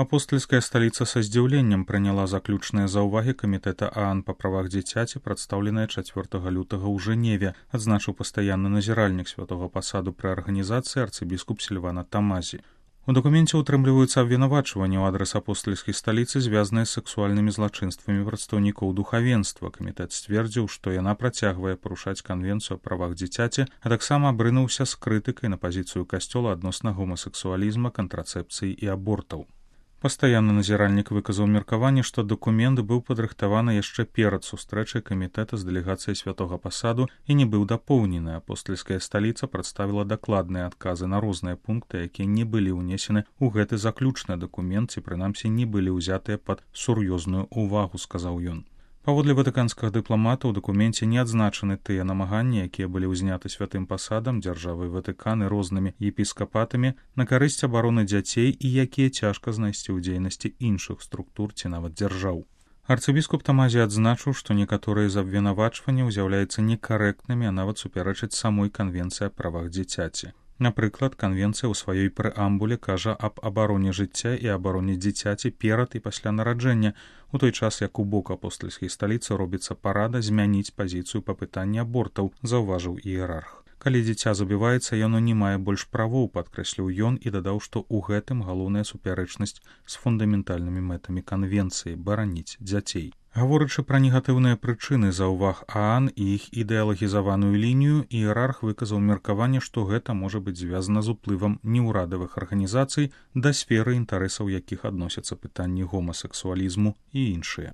Апостольская столица са здзіўленнем прыняла заключныя заўвагі камітэта ААН па правах дзіцяці, прадстаўленыя 4 лютага ў Жэневе, адзначыў пастаянны назіральнік святога пасаду пры арганізацыі арцыбіскуп Сільвана Тамазі. У дакуменце ўтрымліваюцца абвінавачванні ў адрас апостольскай сталіцы, звязаныя з сексуальнымі злачынствамі прадстаўнікоў духавенства. Камітэт сцвердзіў, што яна працягвае парушаць канвенцыю аб правах дзіцяці, а таксама абрынуўся з крытыкай на пазіцыю касцёла адносна гомасексуалізма, кантрацэпцыі і абортаў. Пастаянны назіральнік выказаў меркаванне, што дакумент быў падрыхтаваны яшчэ перад сустрэчай камітэта з дэлегацыяй святога пасаду і не быў дапоўнены. Апостольская сталіца прадставіла дакладныя адказы на розныя пункты, якія не былі ўнесены ў гэты заключны дакумент, ці прынамсі не былі ўзятыя пад сур'ёзную ўвагу, сказаў ён. Паводле ватыканскага дыпламата ў дакуменце не адзначаны тыя намаганні, якія былі ўзняты святым пасадам, дзяржавай Ватыкан і рознымі епіскапатамі на карысць абароны дзяцей і якія цяжка знайсці ў дзейнасці іншых структур ці нават дзяржаў. Арцыбіскуп Тамазі адзначыў, што некаторыя з абвінавачванняў з'яўляюцца некарэктнымі, а нават супярэчаць самой канвенцыі аб правах дзіцяці. Напрыклад, канвенцыя ў сваёй прэамбуле кажа аб абароне жыцця і абароне дзіцяці перад і пасля нараджэння, у той час як у бок апостольскай сталіцы робіцца парада змяніць пазіцыю па пытанні абортаў, заўважыў іерарх. Калі дзіця забіваецца, яно не мае больш правоў, падкрэсліў ён і дадаў, што ў гэтым галоўная супярэчнасць з фундаментальнымі мэтамі канвенцыі бараніць дзяцей. Гаворачы пра негатыўныя прычыны заўваг ААН і іх ідэалагізаваную лінію, іерарх выказаў меркаванне, што гэта можа быць звязана з уплывам неўрадавых арганізацый, да сферы інтарэсаў якіх адносяцца пытанні гомасексуалізму і іншыя.